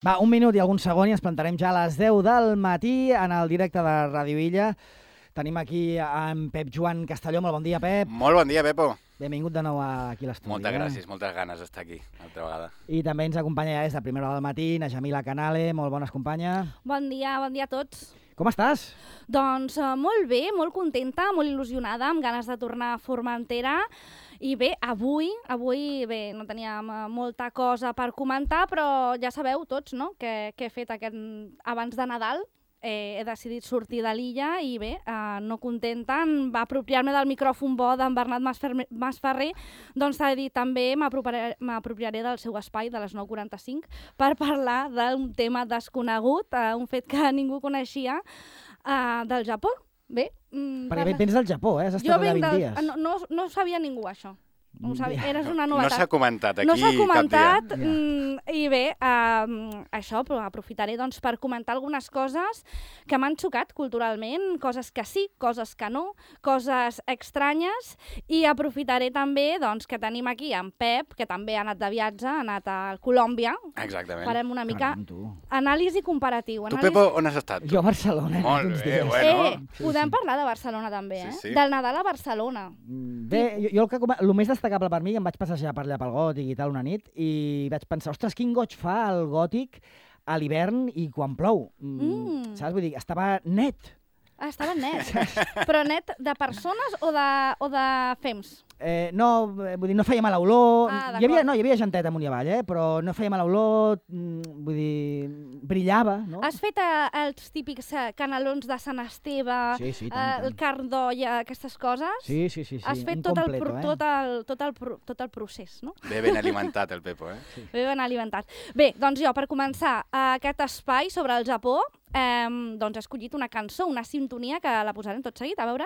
Va, un minut i alguns segons i ens plantarem ja a les 10 del matí en el directe de Ràdio Illa. Tenim aquí en Pep Joan Castelló. Molt bon dia, Pep. Molt bon dia, Pepo. Benvingut de nou aquí a l'estudi. Moltes gràcies, moltes ganes d'estar aquí, altra vegada. I també ens acompanya ja des de primera hora del matí na Jamila Canale. Molt bones, companya. Bon dia a tots. Com estàs? Doncs molt bé, molt contenta, molt il·lusionada, amb ganes de tornar a Formentera. I bé, avui bé, no teníem molta cosa per comentar, però ja sabeu tots, no?, que he fet abans de Nadal. He decidit sortir de l'illa i bé, no contenta, va apropiar-me del micròfon bo d'en Bernat Masferrer, doncs s'ha dit també m'apropiaré del seu espai de les 9:45 per parlar d'un tema desconegut, un fet que ningú coneixia, del Japó. Bé, perquè vens del Japó, has estat allà 20 dies. No ho sabia ningú, això. Eres una novetat. No s'ha comentat aquí no s'ha comentat, cap dia. I bé, això, però aprofitaré doncs, per comentar algunes coses que m'han xocat culturalment, coses que sí, coses que no, coses estranyes, i aprofitaré també doncs, que tenim aquí en Pep, que també ha anat de viatge, ha anat a Colòmbia. Exactament. Farem una mica anàlisi comparatiu. Tu, Pepo, on has estat? Jo a Barcelona. Molt bé, bueno. Podem parlar de Barcelona també, Sí. Del Nadal a Barcelona. Bé, jo el més destacable per mi, em vaig passejar per allà pel Gòtic i tal una nit, i vaig pensar, ostres, quin goig fa el Gòtic a l'hivern i quan plou. Saps? Vull dir, estava net. Estava net. Però net de persones o de fems? No, vull dir, no feia mala olor. Hi havia gentet amunt i avall, però no feia mala olor, vull dir, brillava, no? Has fet els típics canelons de Sant Esteve, el carn d'olla, aquestes coses? Sí. Has fet tot el procés, no? Bé ben alimentat, el Pepo, Sí. Bé ben alimentat. Bé, doncs jo, per començar aquest espai sobre el Japó, doncs he escollit una cançó, una sintonia, que la posarem tot seguit, a veure.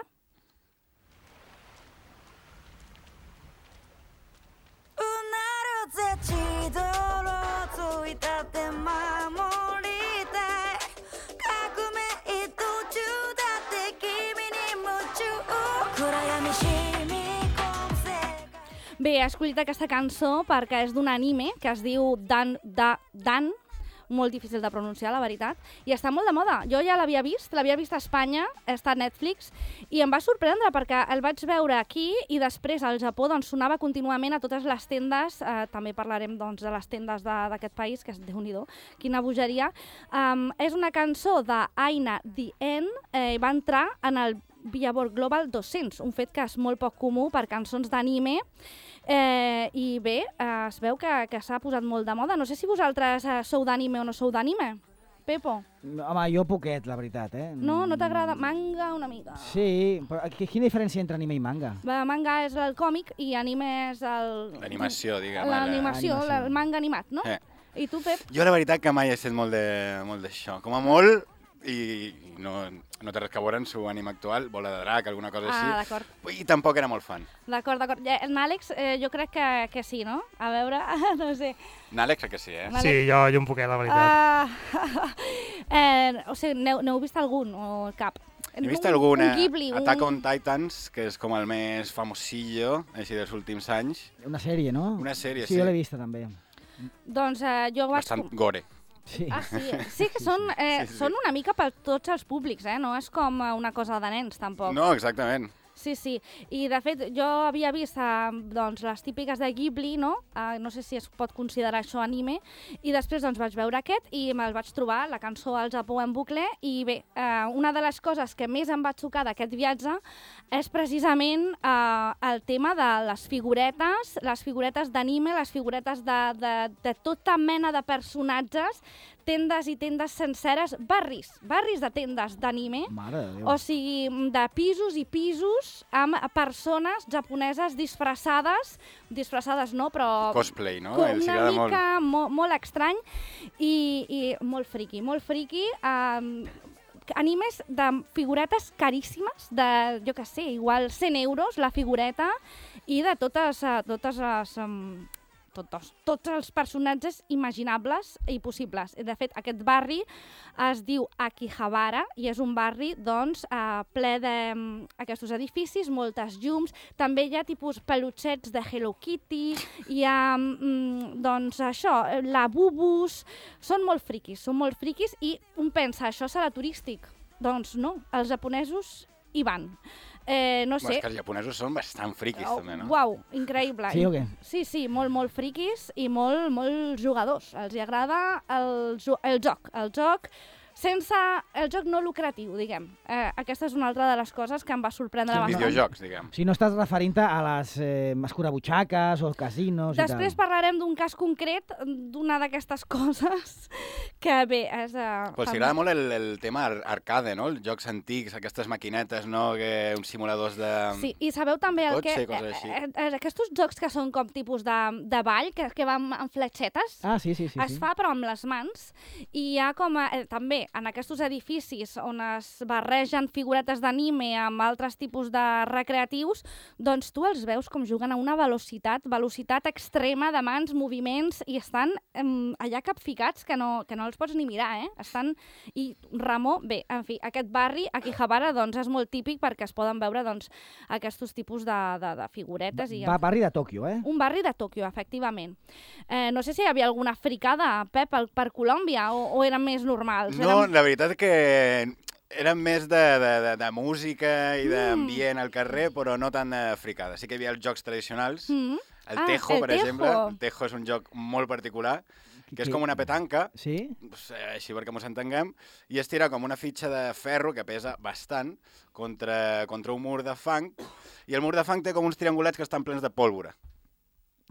Bé, he escollit aquesta cançó perquè és d'un anime que es diu Dan, molt difícil de pronunciar, la veritat, i està molt de moda. Jo ja l'havia vist a Espanya, està a Netflix, i em va sorprendre perquè el vaig veure aquí i després al Japó doncs, sonava contínuament a totes les tendes, també parlarem doncs, de les tendes d'aquest país, que és Déu-n'hi-do, quina bogeria. És una cançó d'Aina Dien, va entrar en el Billboard Global 200, un fet que és molt poc comú per cançons d'anime, i bé, es veu que s'ha posat molt de moda. No sé si vosaltres sou d'anime o no sou d'anime, Pepo. Home, jo poquet, la veritat, No t'agrada? Manga una mica. Sí, però quina diferència entre anime i manga? Manga és el còmic i anime és l'animació, diguem. L'animació, el manga animat, no? I tu, Pep? Jo la veritat que mai he estat molt d'això. Com a molt, i no té res que veure amb el seu anime actual, Bola de Drac, alguna cosa així. D'acord. I tampoc era molt fan. D'acord. N'Àlex, jo crec que sí, no? A veure, no sé. N'Àlex crec que sí, Sí, jo un poquet, la veritat. O sigui, n'heu vist algun o cap? He vist alguna, Ghibli, Attack on Titans, que és com el més famosillo, així dels últims anys. Una sèrie, no? Una sèrie, sí. Sí, jo l'he vista també. Doncs jo vaig... Bastant gore. Sí. Sí que són una mica per tots els públics, no és com una cosa de nens, tampoc. No, exactament. Sí. I, de fet, jo havia vist doncs, les típiques de Ghibli, no? No sé si es pot considerar això anime, i després doncs, vaig veure aquest i me'l vaig trobar, la cançó al Japó en bucle, i bé, una de les coses que més em va xocar d'aquest viatge és precisament el tema de les figuretes d'anime, les figuretes de tota mena de personatges, tendes i tendes senceres, barris de tendes d'anime, o sigui, de pisos i pisos amb persones japoneses disfressades no, però... Cosplay, no? Una mica molt estrany i molt friki. Animes de figuretes caríssimes, de, jo què sé, igual 100 euros la figureta, i de totes les tots els personatges imaginables i possibles. De fet, aquest barri es diu Akihabara i és un barri doncs, ple d'aquests edificis, moltes llums. També hi ha tipus pelutxets de Hello Kitty, hi ha doncs, això, labubus. Són molt friquis i un pensa, això serà turístic. Doncs no, els japonesos hi van. No sé. És que els japonesos són bastant friquis, també, no? Uau, increïble. Sí o què? Sí, molt friquis i molt jugadors. Els hi agrada el joc sense el joc no lucratiu, diguem. Aquesta és una altra de les coses que em va sorprendre bastant. Videojocs, diguem. Si no estàs referint-te a les escurabutxaques o els casinos i tal. Després parlarem d'un cas concret, d'una d'aquestes coses, que bé, és... Però si agrada molt el tema arcade, no? Els jocs antics, aquestes maquinetes, no? Uns simuladors de... Sí, i sabeu també el cotxe, que... coses així. Aquests jocs que són com tipus de ball, que van amb fletxetes, sí. es fa però amb les mans, i hi ha com també en aquests edificis on es barregen figuretes d'anime amb altres tipus de recreatius, doncs tu els veus com juguen a una velocitat extrema de mans, moviments, i estan allà capficats que no els pots ni mirar, I Ramó, bé, en fi, aquest barri, Akihabara, doncs és molt típic perquè es poden veure doncs, aquests tipus de figuretes. Barri de Tòquio, Un barri de Tòquio, efectivament. No sé si hi havia alguna fricada, Pep, per Colòmbia, o eren més normals? No, la veritat és que eren més de música i d'ambient al carrer, però no tan fricada. Sí que hi havia els jocs tradicionals. El Tejo, per exemple. El Tejo és un joc molt particular, que és com una petanca, així perquè ens entenguem, i es tira com una fitxa de ferro que pesa bastant contra un mur de fang, i el mur de fang té com uns triangulats que estan plens de pólvora.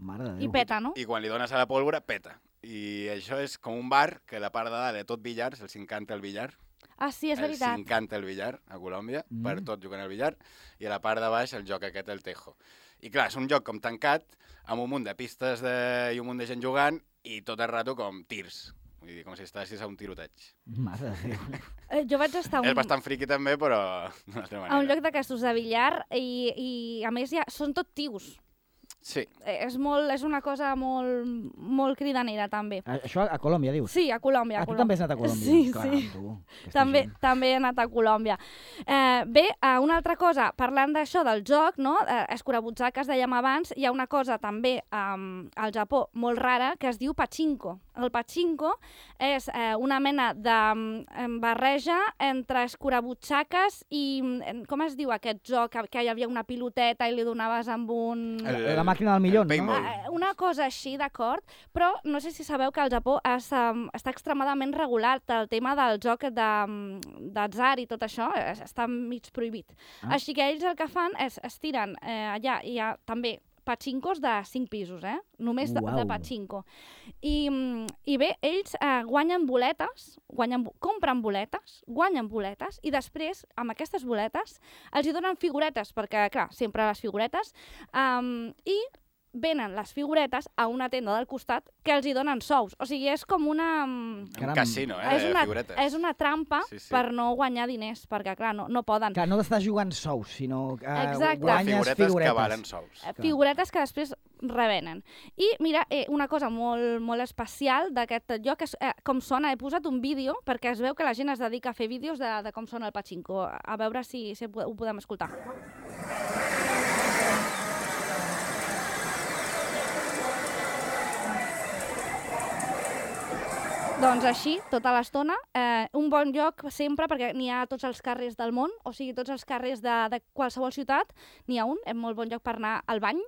Mare de Déu. I peta, no? I quan li dones a la pólvora, peta. I això és com un bar que la part de dalt de tot billars, els encanta el billar. Ah, sí, és veritat. Els encanta el billar a Colòmbia, per tot jugant al billar, i a la part de baix el joc aquest, el Tejo. I clar, és un joc com tancat, amb un munt de pistes i un munt de gent jugant, i tot el rato com tirs. Vull dir, com si estàssis a un tiroteig. Mare de Déu. Jo vaig estar És bastant friqui també, però d'una altra manera. A un lloc d'aquestos de billar i a més són tot tios. Sí. És una cosa molt cridanera, també. Això a Colòmbia, dius? Sí, a Colòmbia. Tu també has anat a Colòmbia? Sí, clar, sí. Tu, també he anat a Colòmbia. Bé, una altra cosa, parlant d'això, del joc, no? Escurabutxaques, dèiem abans, hi ha una cosa també al Japó molt rara que es diu pachinko. El pachinko és una mena de barreja entre escurabutxaques i... Com es diu aquest joc? Que hi havia una piloteta i li donaves amb un... La màquina del millón, no? Una cosa així, d'acord, però no sé si sabeu que al Japó està extremadament regulat el tema del joc d'atzar i tot això, està mig prohibit. Així que ells el que fan és es tiren allà, hi ha també pachinkos de 5 pisos, només de pachinko. I bé, ells guanyen boletes, compren boletes, guanyen boletes, i després, amb aquestes boletes, els hi donen figuretes, perquè, clar, sempre les figuretes, i venen les figuretes a una tenda del costat que els hi donen sous. O sigui, és com una... Un casino, de figuretes. És una trampa per no guanyar diners, perquè, clar, no poden. Clar, no t'estàs jugant sous, sinó que guanyes figuretes. Que valen sous. Figuretes que després revenen. I, mira, una cosa molt especial d'aquest lloc és com sona. He posat un vídeo perquè es veu que la gent es dedica a fer vídeos de com sona el pachinko. A veure si ho podem escoltar. Doncs així, tota l'estona, un bon lloc sempre, perquè n'hi ha a tots els carrers del món, o sigui, tots els carrers de qualsevol ciutat, n'hi ha un, és molt bon lloc per anar al bany,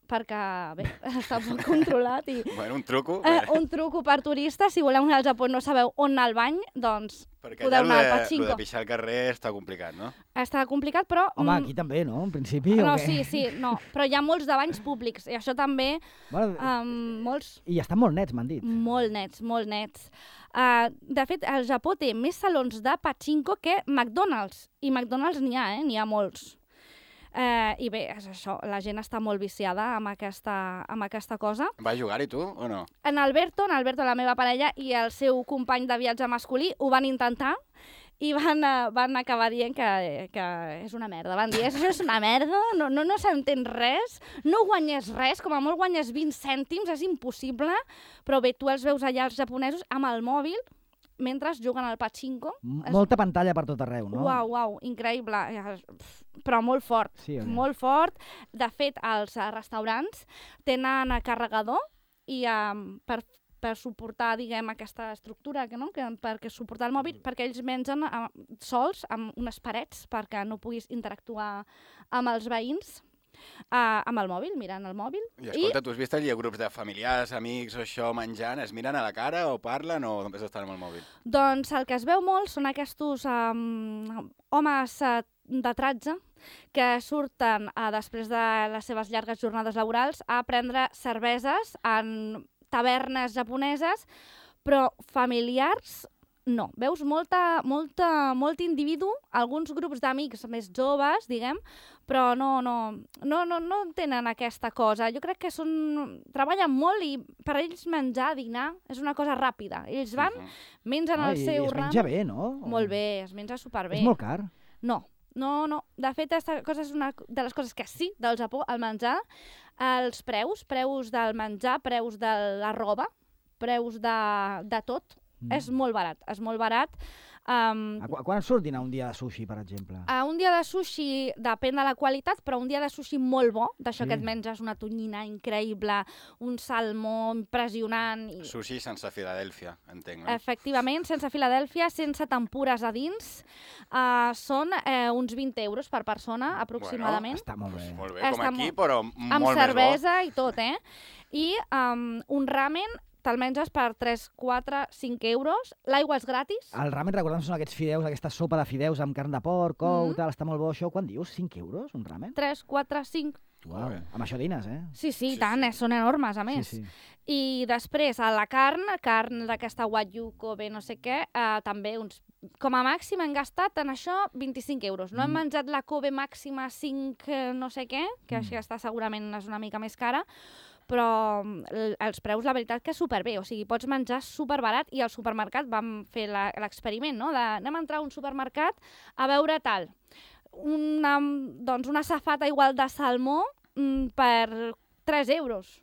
perquè, bé, està molt controlat. Bueno, un truco. Un truco per turistes, si voleu anar al Japó i no sabeu on anar al bany, doncs podeu anar al pachinko. Perquè allà de pixar al carrer està complicat, no? Està complicat, però... Home, aquí també, no? En principi, no, o què? sí, no. Però hi ha molts de banys públics, i això també... molts... I estan molt nets, m'han dit. Molt nets. De fet, el Japó té més salons de pachinko que McDonald's. I McDonald's n'hi ha, n'hi ha molts. I bé, és això, la gent està molt viciada amb aquesta cosa. Va jugar-hi tu, o no? En Alberto, la meva parella, i el seu company de viatge masculí ho van intentar i van acabar dient que és una merda. Van dir, això és una merda, no s'entén res, no guanyes res, com a molt guanyes 20 cèntims, és impossible, però bé, tu els veus allà els japonesos amb el mòbil, mentre juguen al pachinko. Molta pantalla per tot arreu, no? Uau, increïble. Però molt fort, molt fort. De fet, els restaurants tenen carregador i per suportar, diguem, aquesta estructura, no? Perquè suportar el mòbil, perquè ells mengen sols amb unes parets perquè no puguis interactuar amb els veïns. Amb el mòbil, mirant el mòbil. I escolta, tu has vist allà grups de familiars, amics o això menjant, es miren a la cara o parlen o només estan amb el mòbil? Doncs el que es veu molt són aquests homes de tratge que surten després de les seves llargues jornades laborals a prendre cerveses en tavernes japoneses, però familiars no. Veus molt individu, alguns grups d'amics més joves, diguem, però no tenen aquesta cosa. Jo crec que treballen molt i per ells menjar, dinar, és una cosa ràpida. Ells van, mengen el seu ram... I es menja bé, no? Molt bé, es menja superbé. És molt car? No. De fet, aquesta cosa és una de les coses que sí, del Japó, el menjar, els preus del menjar, preus de la roba, preus de tot. És molt barat, Quan surt dinar un dia de sushi, per exemple? Un dia de sushi depèn de la qualitat, però un dia de sushi molt bo, d'això que et menges una tonyina increïble, un salmó impressionant... Sushi sense Filadèlfia, entenc, no? Efectivament, sense Filadèlfia, sense tempures a dins. Són uns 20 euros per persona, aproximadament. Bueno, està molt bé. Molt bé, com aquí, però molt més bo. Amb cervesa i tot, I un ramen te'l menges per 3, 4, 5 euros. L'aigua és gratis. El ramen, recordem, són aquests fideus, aquesta sopa de fideus amb carn de porc, tal, està molt bo això. Quan dius? 5 euros, un ramen? 3, 4, 5. Uau, amb això dines, Sí, tant, són enormes, a més. Sí. I després, a la carn d'aquesta Wagyu, Kobe, no sé què, també com a màxim hem gastat en això 25 euros. No hem menjat la Kobe màxima 5 no sé què, que aquesta segurament és una mica més cara, però els preus, la veritat, que és superbé. O sigui, pots menjar superbarat i al supermercat vam fer l'experiment, no? Anem a entrar a un supermercat a veure tal. Una safata igual de salmó per 3 euros.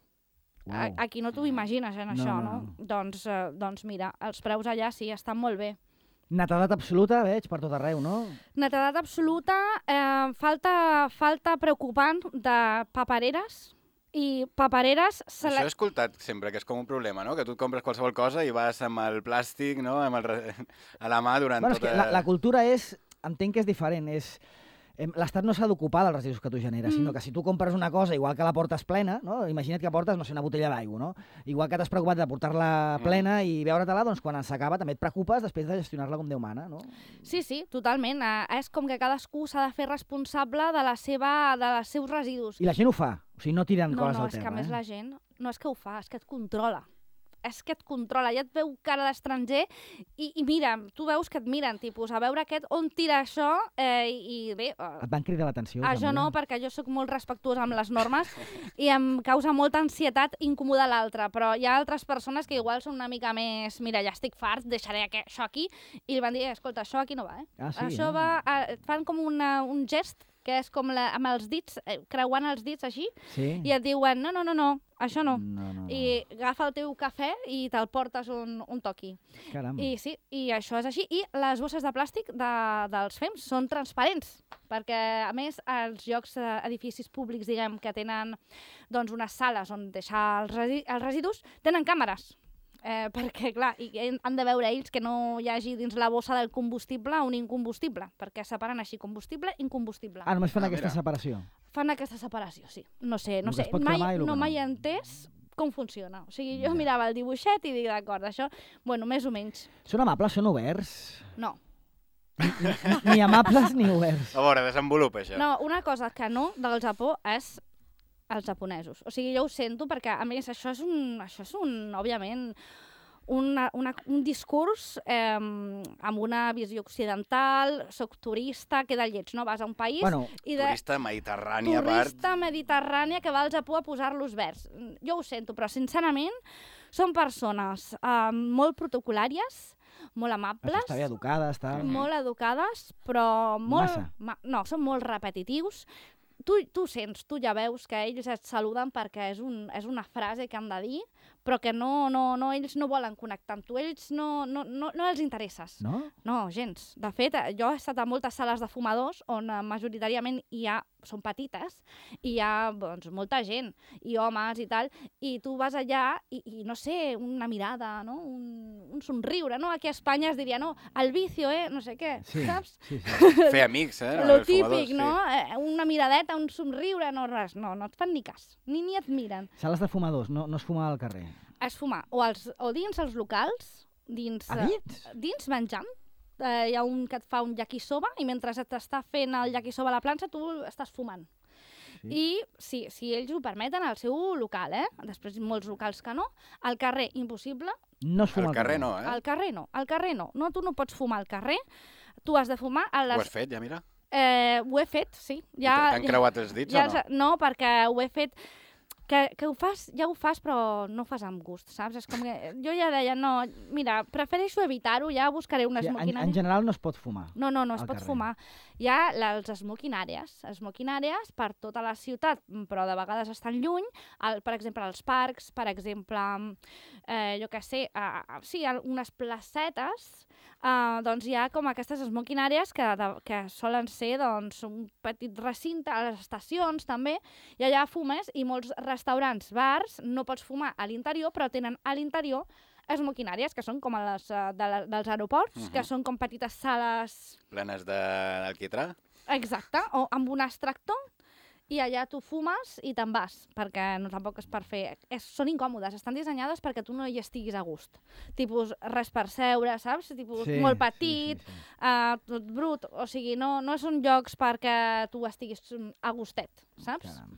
Wow. Aquí no t'ho imagines, això, no? Doncs mira, els preus allà sí, estan molt bé. Netedat absoluta, veig, per tot arreu, no? Netedat absoluta, falta preocupant de papereres, i papereres... Això he escoltat sempre, que és com un problema, no? Que tu et compres qualsevol cosa i vas amb el plàstic, no? A la mà durant tota... La cultura entenc que és diferent, l'Estat no s'ha d'ocupar dels residus que tu generes, sinó que si tu compres una cosa, igual que la portes plena, no? Imagina't que portes, no sé, una botella d'aigua, no? Igual que t'has preocupat de portar-la plena i beure-te-la, doncs quan s'acaba també et preocupes després de gestionar-la com Déu mana, no? Sí, totalment. És com que cadascú s'ha de fer responsable dels seus residus. I la gent ho fa, o sigui, no tiren coses al terra. No, és que a més la gent no és que ho fa, és que et controla. Ja et veu cara d'estranger i mira, tu veus que et miren, tipus, a veure on tira això i bé... Et van cridar l'atenció? Això no, perquè jo sóc molt respectuosa amb les normes i em causa molta ansietat incomodar l'altre, però hi ha altres persones que igual són una mica més... Mira, ja estic fart, deixaré això aquí, i li van dir, escolta, això aquí no va, Això va... Fan com un gest que és com amb els dits, creuant els dits així, i et diuen, no, això no. I agafa el teu cafè i te'l portes un toqui. Caram. I sí, i això és així. I les bosses de plàstic dels FEMS són transparents, perquè, a més, els llocs, edificis públics, diguem, que tenen unes sales on deixar els residus, tenen càmeres. Perquè, clar, han de veure ells que no hi hagi dins la bossa del combustible un incombustible, perquè separen així combustible i incombustible. Només fan aquesta separació? Fan aquesta separació, sí. No sé, mai he entès com funciona. O sigui, jo mirava el dibuixet i dic, d'acord, això, bueno, més o menys. Són amables, són oberts? No. Ni amables ni oberts. A veure, desenvolupa això. No, una cosa que no del Japó és els japonesos. O sigui, jo ho sento perquè, a més, això és òbviament, un discurs amb una visió occidental, soc turista, queda lleig, no? Vas a un país... Turista mediterrània, a part. Turista mediterrània que va al Japó a posar-los verds. Jo ho sento, però sincerament Són persones molt protocolàries, molt amables. Això està bé educada, està... Molt educades, però molt... Massa. No, són molt repetitius. Tu sents, tu ja veus que ells et saluden perquè és una frase que han de dir, però que ells no volen connectar amb tu, ells no els interesses. No? No, gens. De fet, jo he estat a moltes sales de fumadors on majoritàriament són petites i hi ha molta gent, i homes i tal, i tu vas allà i no sé, una mirada, no? un somriure, no? Aquí a Espanya es diria, no, el vicio, no sé què, saps? Sí. Fer amics, Lo típic, no? Una miradeta, un somriure, no res, no et fan ni cas, ni et miren. Sales de fumadors, no es fuma al carrer? Es fuma o dins els locals, dins menjant. Hi ha un que et fa un yakisoba i mentre t'està fent el yakisoba a la planxa tu estàs fumant. Sí. I si ells ho permeten al seu local, després molts locals que no, al carrer impossible. No es fuma al carrer. No, Al carrer no. No, tu no pots fumar al carrer, tu has de fumar a les... Ho has fet, ja, mira? Ho he fet, sí. T'han creuat els dits o no? No, perquè ho he fet... Que ho fas, ja ho fas, però no ho fas amb gust, saps? És com que jo ja deia, no, mira, prefereixo evitar-ho, ja buscaré una smoking area. En general no es pot fumar. No es pot fumar. Hi ha els smoking areas per tota la ciutat, però de vegades estan lluny, per exemple, als parcs, per exemple, jo què sé, unes placetes, doncs hi ha com aquestes smoking areas que solen ser doncs, un petit recinte, a les estacions també, i allà fumes, i molts restaurants, bars, no pots fumar a l'interior, però tenen a l'interior smoking areas, que són com les dels aeroports, que són com petites sales... Plenes d'alquitrà? Exacte, o amb un extractor, i allà tu fumes i te'n vas, perquè tampoc és per fer... Són incòmodes, estan dissenyades perquè tu no hi estiguis a gust. Tipus res per seure, saps? Tipus molt petit, tot brut, o sigui, no són llocs perquè tu estiguis a gustet, saps? Caram.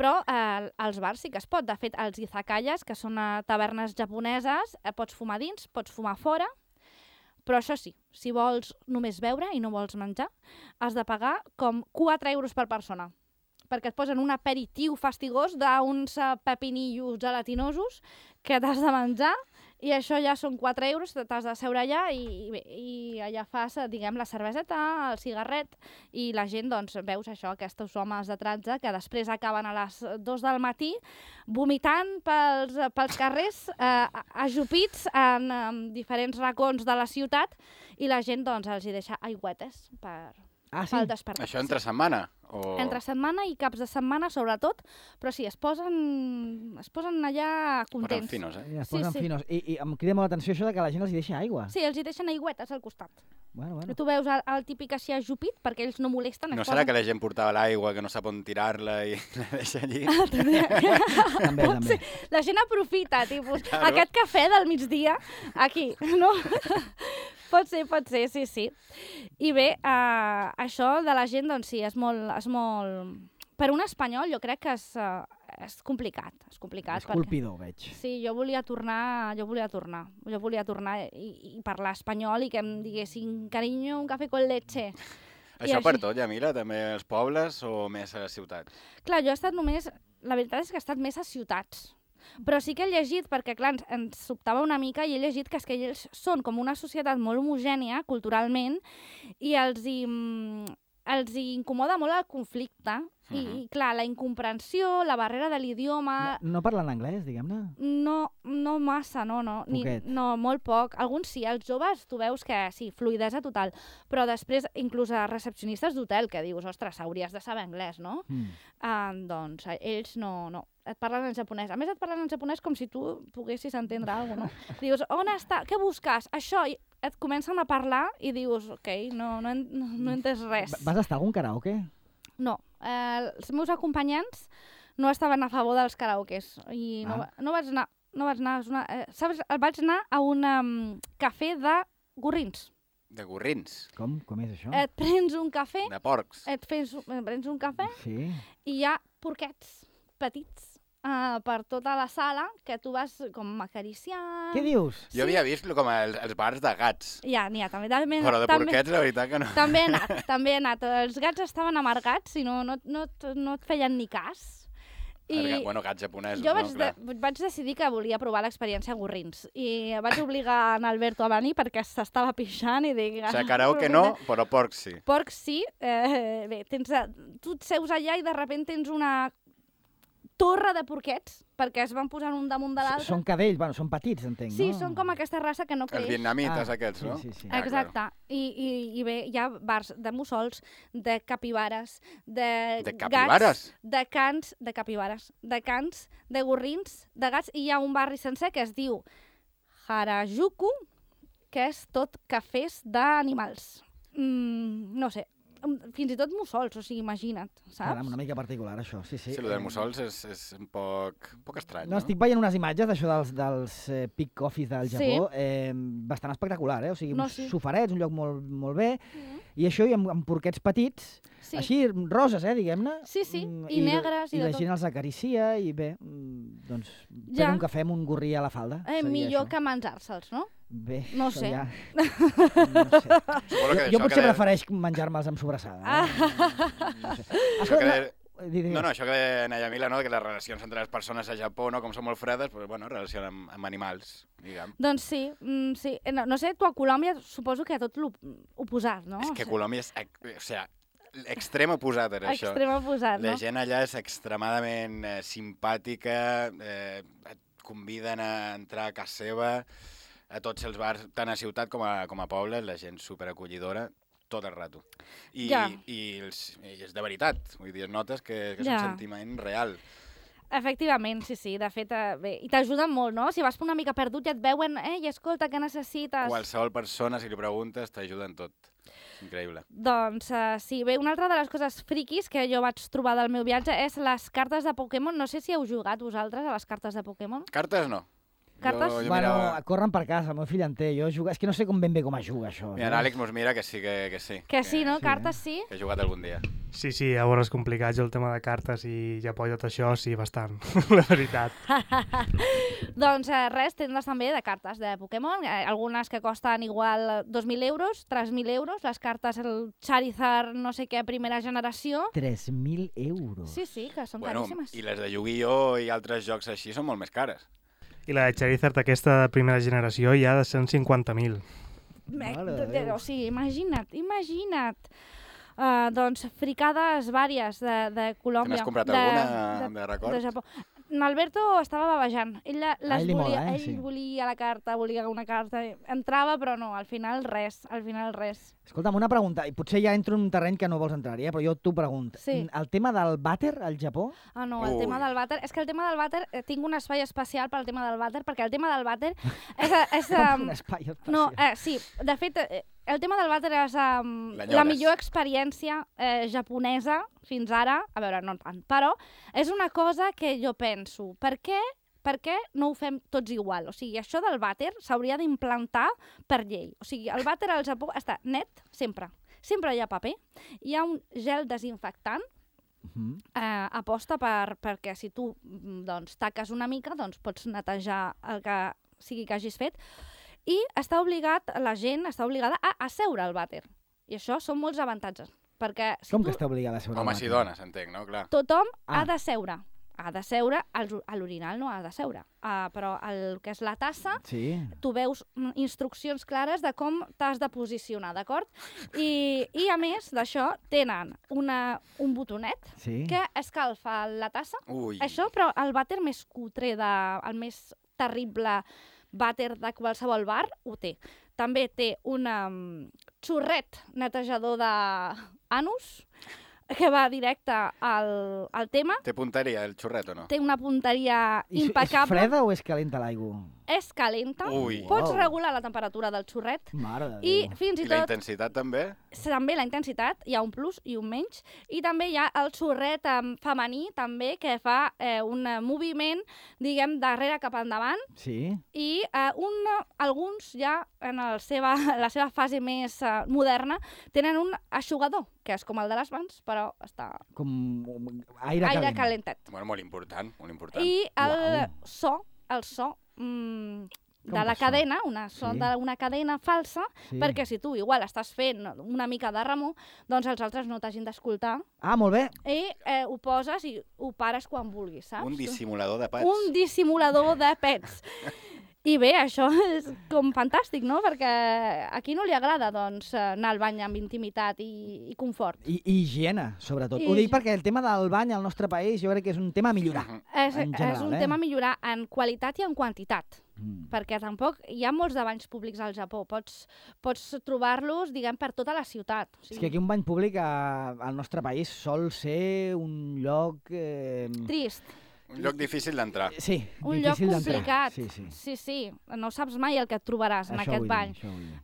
Però als bars sí que es pot. De fet, els izakayas, que són tavernes japoneses, pots fumar dins, pots fumar fora, però això sí, si vols només beure i no vols menjar, has de pagar com 4 euros per persona, perquè et posen un aperitiu fastigós d'uns pepinillos gelatinosos que t'has de menjar, i això ja són 4 euros, t'has de seure allà i allà fas, diguem, la cerveseta, el cigarret, i la gent, doncs, veus això, aquests homes de 13 que després acaben a les 2 del matí vomitant pels carrers, ajupits en diferents racons de la ciutat, i la gent, doncs, els hi deixa aigüetes pel despertar. Això entre setmana? Entre setmana i caps de setmana, sobretot, però sí, es posen allà contents. Es posen finos, Es posen finos. I em crida molt l'atenció això de que la gent els hi deixa aigua. Sí, els hi deixen aigüetes al costat. Bueno. Tu veus el típic així ajupit, perquè ells no molesten. No serà que la gent portava l'aigua, que no sap on tirar-la i la deixa allí? També. La gent aprofita, tipus, aquest cafè del migdia, aquí, no? Pot ser, sí. I bé, això de la gent, doncs sí, és molt... Per un espanyol jo crec que és complicat. És colpidor, veig. Sí, jo volia tornar i parlar espanyol i que em diguessin, carinyo, un cafè con leche. Això per tot, ja mira, també als pobles o més a les ciutats? Clar, jo he estat només... La veritat és que he estat més a ciutats. Però sí que he llegit, perquè clar, ens sobtava una mica, i he llegit que ells són com una societat molt homogènia culturalment i els hi incomoda molt el conflicte. I clar, la incomprensió, la barrera de l'idioma... No parlen anglès, diguem-ne? No massa, no. No, molt poc. Alguns sí, els joves tu veus que sí, fluïdesa total. Però després, inclús a recepcionistes d'hotel, que dius, ostres, hauries de saber anglès, no? Doncs ells no. Et parlen en japonès. A més, et parlen en japonès com si tu poguessis entendre alguna cosa, no? Dius, on està? Què busques? Això. I et comencen a parlar i dius, ok, no he entès res. Vas estar a algun karaoke? No. Els meus acompanyants no estaven a favor dels karaokes. I no vaig anar. Saps? Vaig anar a un cafè de gorrins. De gorrins? Com és això? Et prens un cafè... De porcs? Et prens un cafè i hi ha porquets petits per tota la sala que tu vas com acariciant... Què dius? Jo havia vist com els bars de gats. Ja, n'hi ha, també. Però de porquets, la veritat que no. També he anat. Els gats estaven amargats i no et feien ni cas. Bueno, gats japonesos, jo vaig decidir que volia provar l'experiència gorrins i vaig obligar en Alberto a venir perquè s'estava pixant i dic... O sigui, karaoke no, però porc sí. Porc sí. Bé, tu et seus allà i de sobte tens una torre de porquets, perquè es van posant un damunt de l'altre. Són cadells, bueno, són petits, entenc, no? Sí, són com aquesta raça que no creix. Els vietnamites aquests, no? Sí, sí. Exacte. I bé, hi ha bars de mussols, de capibares, de capibares? Gats, de cans, de capibares, de cans, de gorrins, de gats, i hi ha un barri sencer que es diu Harajuku, que és tot cafès d'animals. No sé, fins i tot mussols, o sigui, imagina't, saps? Caram, una mica particular, això, sí. Sí, el dels mussols és un poc estrany, no? Estic veient unes imatges d'això dels Peak Coffees del Japó, bastant espectacular, o sigui, uns sofarets, un lloc molt bé, i això, i amb porquets petits, així, roses, diguem-ne. Sí, i negres, i de tot. I la gent els acaricia, i bé, doncs, pren un cafè amb un gorrí a la falda. Millor que menjar-se'ls, no? Bé, no sé. Ja... no sé. Jo potser prefereix menjar-me'ls amb sobrassada. No sé. Això que deia Mila, no? Que les relacions entre les persones a Japó, no? Com són molt fredes, però, bueno, relacionen amb animals, diguem. Doncs sí. No sé, tu a Colòmbia suposo que tot l'oposat, no? És que Colòmbia és... O sigui, extrem oposat era això. Extrem oposat, no? La gent allà és extremadament simpàtica, et conviden a entrar a casa seva, a tots els bars, tant a ciutat com a poble, la gent superacollidora, tot el rato. I és de veritat, vull dir, notes que és un sentiment real. Efectivament, sí. De fet, bé, i t'ajuden molt, no? Si vas una mica perdut i et veuen, i escolta, què necessites? Qualsevol persona, si li preguntes, t'ajuda en tot. Increïble. Doncs sí, bé, una altra de les coses friquis que jo vaig trobar del meu viatge és les cartes de Pokémon. No sé si heu jugat vosaltres a les cartes de Pokémon. Cartes no. Cartes? Bueno, corren per casa, el meu fill en té. Jo jugo... És que no sé ben bé com es juga, això. Mira, l'Àlex mos mira que sí, que sí. Que sí, no? Cartes sí? Que he jugat algun dia. Sí, a veure, és complicat, jo el tema de cartes i Japó i tot això, sí, bastant, la veritat. Doncs res, tendes també de cartes de Pokémon, algunes que costen igual 2.000 euros, 3.000 euros, les cartes, el Charizard, no sé què, primera generació. 3.000 euros? Sí, que són caríssimes. I les de Yu-Gi-Oh! I altres jocs així són molt més cares. I la de Charizard, aquesta de primera generació, ja ha de ser 150.000. O sigui, imagina't. Doncs fricades vàries de Colòmbia. N'has comprat alguna de record? De Japó. Alberto estava babejant. Ell volia la carta, volia una carta. Entrava, però no, al final res. Escolta'm, una pregunta, i potser ja entro en un terreny que no vols entrar-hi, però jo t'ho pregunto. Sí. El tema del vàter al Japó? No, el tema del vàter... És que el tema del vàter... Tinc un espai especial pel tema del vàter, perquè el tema del vàter és un espai especial. No, sí, de fet... El tema del vàter és la millor experiència japonesa fins ara, a veure, no tant, però és una cosa que jo penso, per què no ho fem tots igual? O sigui, això del vàter s'hauria d'implantar per llei. O sigui, el vàter al Japó està net sempre. Sempre hi ha paper, hi ha un gel desinfectant, aposta perquè si tu taques una mica, doncs pots netejar el que sigui que hagis fet, i la gent està obligada a asseure al vàter. I això són molts avantatges. Perquè com que està obligada a asseure al vàter? Homes i dones, entenc, no? Clar. Tothom ha de seure. Ha de seure, a l'orinal no ha de seure. Però el que és la tassa, tu veus instruccions clares de com t'has de posicionar, d'acord? I a més d'això, tenen un botonet que escalfa la tassa. Això, però el vàter més cutre, el més terrible vàter de qualsevol bar, ho té. També té un xorret netejador d'anus, que va directe al tema. Té punteria, el xorret, o no? Té una punteria impecable. És freda o és calenta l'aigua? És calenta. Pots regular la temperatura del xorret. Mare de Déu. I la intensitat també? També la intensitat, hi ha un plus i un menys. I també hi ha el xorret femení, també, que fa un moviment, diguem, darrere cap endavant. Sí. I alguns ja, en la seva fase més moderna, tenen un eixugador, que és com el de les mans, però està... Com aire calentat. Bueno, molt important, molt important. I el so, de la cadena, d'una cadena falsa, perquè si tu igual estàs fent una mica de remor, doncs els altres no t'hagin d'escoltar. Ah, molt bé. I ho poses i ho pares quan vulguis, saps? Un dissimulador de pets. Un dissimulador de pets. I bé, això és com fantàstic, no? Perquè a qui no li agrada, doncs, anar al bany amb intimitat i confort. I higiene, sobretot. Ho dic perquè el tema del bany al nostre país jo crec que és un tema a millorar. És un tema a millorar en qualitat i en quantitat. Perquè tampoc hi ha molts de banys públics al Japó. Pots trobar-los, diguem, per tota la ciutat. O sigui... És que aquí un bany públic al nostre país sol ser un lloc... Trist. Un lloc difícil d'entrar. Sí, un lloc complicat. Sí. No saps mai el que et trobaràs en aquest bany.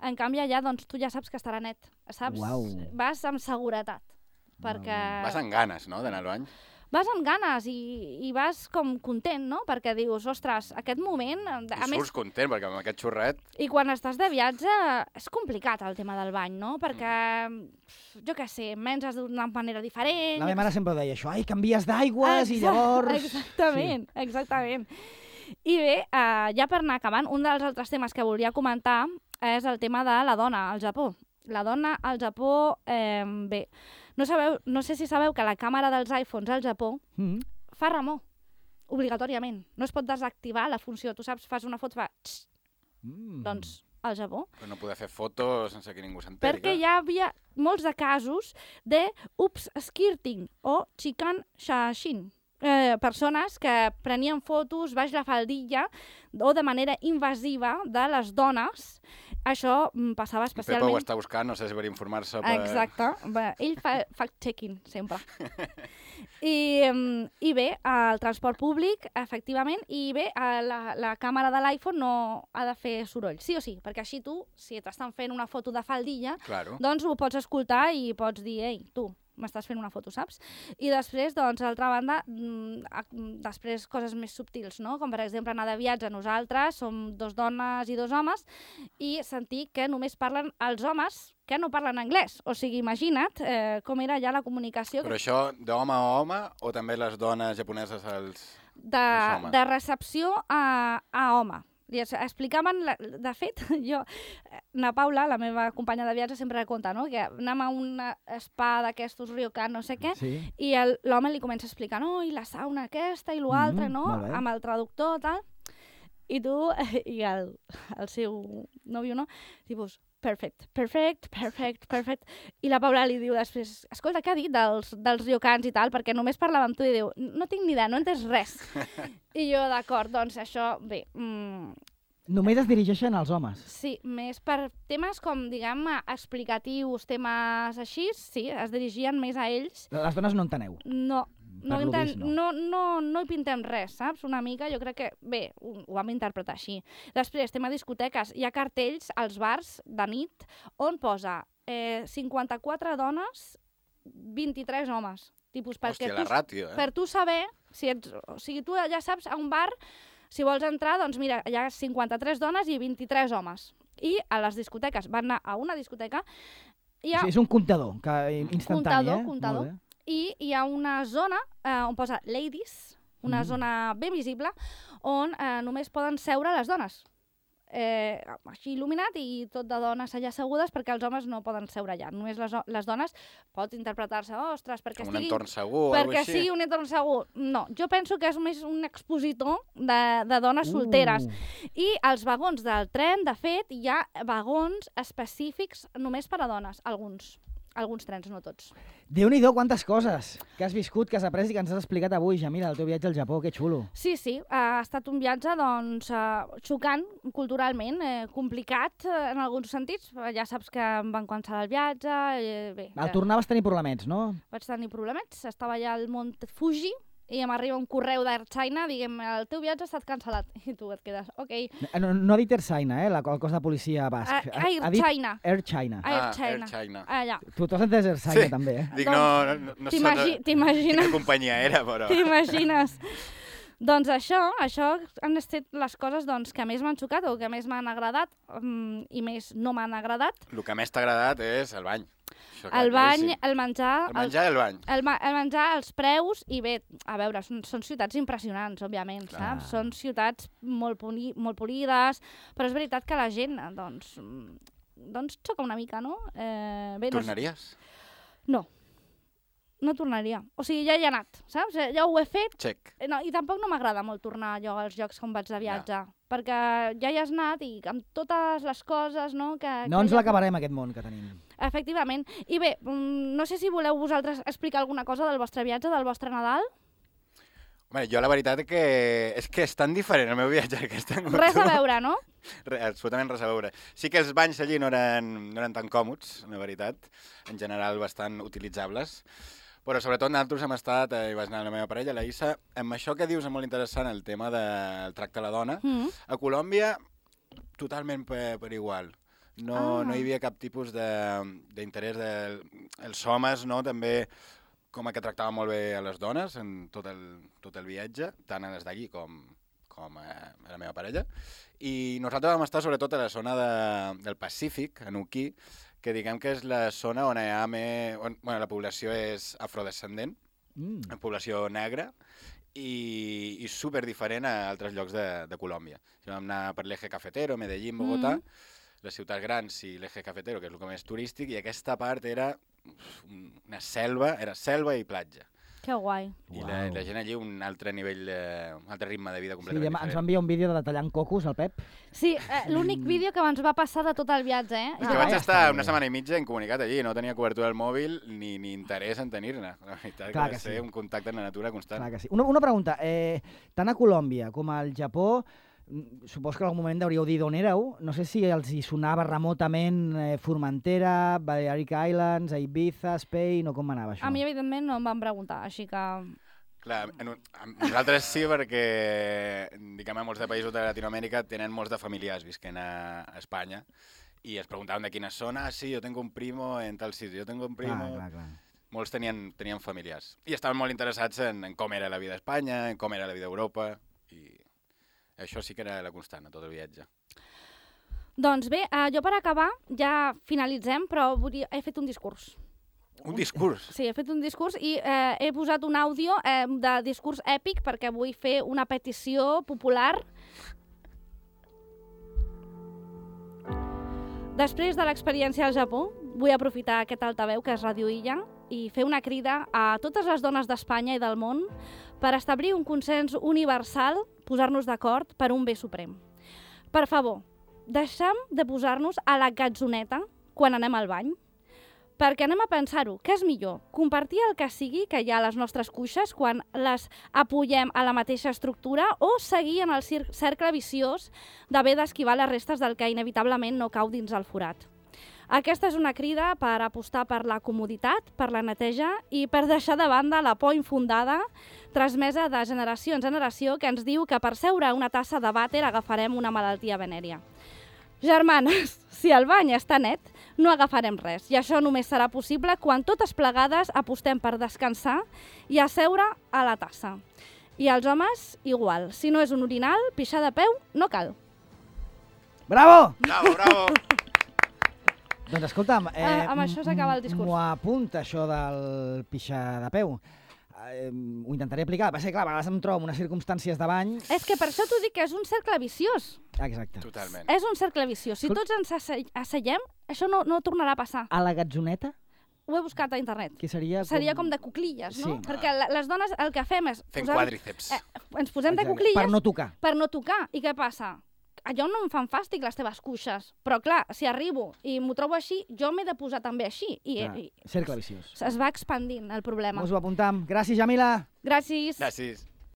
En canvi, allà, doncs, tu ja saps que estarà net. Saps? Vas amb seguretat. Perquè... Vas amb ganes, no?, d'anar al bany. Vas amb ganes i vas com content, no? Perquè dius, ostres, aquest moment... I surts content, perquè amb aquest xurret... I quan estàs de viatge és complicat el tema del bany, no? Perquè, jo què sé, menges d'una manera diferent... La meva mare sempre deia això, ai, canvies d'aigües i llavors... Exactament. I bé, ja per anar acabant, un dels altres temes que volia comentar és el tema de la dona al Japó. La dona al Japó, bé... No sé si sabeu que la càmera dels iPhones al Japó fa remor, obligatòriament. No es pot desactivar la funció. Tu saps, fas una foto, fa... Doncs, al Japó. Però no poder fer fotos sense que ningú s'enteri. Perquè hi havia molts de casos de skirting o chikan shashin. Persones que prenien fotos baix la faldilla o de manera invasiva de les dones. Això passava especialment... Pepa ho està buscant, no sé si per informar-se... Exacte. Ell fa fact-checking, sempre. I bé, el transport públic, efectivament, i bé, la càmera de l'iPhone no ha de fer soroll, sí o sí, perquè així tu, si t'estan fent una foto de faldilla, doncs ho pots escoltar i pots dir, ei, tu, m'estàs fent una foto, saps? I després, doncs, d'altra banda, després coses més subtils, no? Com, per exemple, anar de viatge. Nosaltres som 2 dones i 2 homes i sentir que només parlen els homes que no parlen anglès. O sigui, imagina't com era ja la comunicació. Però això d'home a home o també les dones japoneses als homes? De recepció a home. Explicaven, de fet, na Paula, la meva companya de viatge, sempre conta, no? Que anem a un spa d'aquestos ryokan, no sé què, i l'home li comença a explicar, no, i la sauna aquesta i l'altre, no? Amb el traductor, tal. I tu, i el seu nòvio, no? Tipus, perfect. I la Paula li diu després, escolta, què ha dit dels ryokans i tal? Perquè només parlava amb tu i diu, no tinc ni idea, no he entès res. I jo, d'acord, doncs això, bé... Només es dirigeixen als homes? Sí, més per temes com, diguem, explicatius, temes així, sí, es dirigien més a ells. Les dones no enteneu? No hi pintem res, saps? Una mica, jo crec que, bé, ho vam interpretar així. Després, tema discoteques, hi ha cartells als bars de nit on posa 54 dones, 23 homes. Hòstia, la ràtio, Per tu saber, o sigui, tu ja saps, a un bar, si vols entrar, doncs mira, hi ha 53 dones i 23 homes. I a les discoteques, van anar a una discoteca... És un comptador instantani, Comptador. I hi ha una zona on posa ladies, una zona ben visible, on només poden seure les dones. Així il·luminat i tot de dones allà assegudes perquè els homes no poden seure allà. Només les dones pot interpretar-se, ostres, perquè un entorn segur, perquè sigui un entorn segur. No, jo penso que és més un expositor de dones solteres. I als vagons del tren, de fet, hi ha vagons específics només per a dones, alguns trens, no tots. Déu-n'hi-do, quantes coses que has viscut, que has après i que ens has explicat avui, Jamila, el teu viatge al Japó, que xulo. Sí, ha estat un viatge, doncs, xocant culturalment, complicat en alguns sentits. Ja saps que em van cancel·lar el viatge. Al tornar vas tenir problemets, no? Vaig tenir problemets, estava allà al Mont Fuji, i m'arriba un correu d'Air China, diguem, el teu viatge ha estat cancel·lat. I tu et quedes, ok. No ha dit Air China, el cos de policia basc. Air China. Air China. Air China. Allà. Tu has entès Air China, també, eh? Dic, no sé quina companyia era, però... T'imagines. Doncs això han estat les coses que més m'han xocat o que més m'han agradat i més no m'han agradat. El que més t'ha agradat és el bany. El bany, el menjar... El menjar i el bany. El menjar, els preus, i bé, a veure, són ciutats impressionants, òbviament, saps? Són ciutats molt polides, però és veritat que la gent, doncs xoca una mica, no? Tornaries? No. No tornaria. O sigui, ja hi he anat, saps? Ja ho he fet. Check. No, i tampoc no m'agrada molt tornar jo als llocs on vaig de viatge, perquè ja hi has anat i amb totes les coses, no? No ens l'acabarem, aquest món que tenim. Efectivament. I bé, no sé si voleu vosaltres explicar alguna cosa del vostre viatge, del vostre Nadal. Home, jo la veritat és que és tan diferent el meu viatge que és tan... Res a veure, no? Absolutament res a veure. Sí que els banys allí no eren tan còmods, la veritat, en general bastant utilitzables, però sobretot nosaltres hem estat, i vaig anar amb la meva parella, la Issa, amb això que dius és molt interessant, el tema del tracte a la dona. A Colòmbia, totalment per igual. No hi havia cap tipus d'interès dels homes, no? També com que tractava molt bé a les dones en tot el viatge, tant a les d'allí com a la meva parella. I nosaltres vam estar sobretot a la zona del Pacífic, a Nuquí, que diguem que és la zona on hi ha la població és afrodescendent, una població negra, i superdiferent a altres llocs de Colòmbia. Vam anar per l'Eje Cafetero, Medellín, Bogotà, les ciutats grans i l'Eje Cafetero, que és el més turístic, i aquesta part era una selva, era selva i platja. Que guai. I la gent allí un altre nivell, un altre ritme de vida completament diferent. Ens va enviar un vídeo de tallant cocos, el Pep. Sí, l'únic vídeo que ens va passar de tot el viatge, És que vaig estar una setmana i mitja incomunicat allí, no tenia cobertura del mòbil ni interès en tenir-ne. La veritat que va ser un contacte amb la natura constant. Clar que sí. Una pregunta, tant a Colòmbia com al Japó, supos que en algun moment hauríeu dit d'on éreu. No sé si els hi sonava remotament Formentera, Balearic Islands, Ibiza, Spain, o com anava això? A mi, evidentment, no em van preguntar, així que... Clar, nosaltres sí, perquè diguem, molts de països de Latinoamèrica tenen molts de familiars visquent a Espanya i es preguntaven de quina zona. Sí, jo tengo un primo en tal sitio, jo tengo un primo... Clar. Molts tenien familiars i estaven molt interessats en com era la vida a Espanya, en com era la vida a Europa, i això sí que era la constant a tot el viatge. Doncs bé, jo per acabar, ja finalitzem, però he fet un discurs. Un discurs? Sí, he fet un discurs i he posat un àudio de discurs èpic perquè vull fer una petició popular. Després de l'experiència al Japó, vull aprofitar aquest altaveu que és Radio Illa i fer una crida a totes les dones d'Espanya i del món per establir un consens universal, posar-nos d'acord per un bé suprem. Per favor, deixem de posar-nos a la gatzoneta quan anem al bany, perquè anem a pensar-ho, què és millor? Compartir el que sigui que hi ha a les nostres cuixes quan les apoyem a la mateixa estructura o seguir en el cercle viciós d'haver d'esquivar les restes del que inevitablement no cau dins el forat. Aquesta és una crida per apostar per la comoditat, per la neteja i per deixar de banda la por infundada transmesa de generació en generació que ens diu que per seure una tassa de vàter agafarem una malaltia venèria. Germanes, si el bany està net, no agafarem res i això només serà possible quan totes plegades apostem per descansar i asseure a la tassa. I els homes, igual. Si no és un orinal, pixar de peu no cal. Bravo! Bravo! Doncs escolta'm, amb això s'acaba el discurs. M'ho apunta, això del pixar de peu. Ho intentaré aplicar. Va ser clar, a vegades em trobo en unes circumstàncies de bany... És que per això t'ho dic, que és un cercle viciós. Exacte. Totalment. És un cercle viciós. Si tots ens asseiem, això no tornarà a passar. A la gatzoneta? Ho he buscat a internet. Que seria com de cuclilles, no? Sí. Perquè les dones el que fem és... Fent quàdriceps. Ens posem de cuclilles... Per no tocar. Per no tocar. I què passa? Allò no em fan fàstic, les teves cuixes. Però, clar, si arribo i m'ho trobo així, jo m'he de posar també així. Cercle viciós. Es va expandint el problema. Us ho apuntam. Gràcies, Jamila. Gràcies. Gràcies.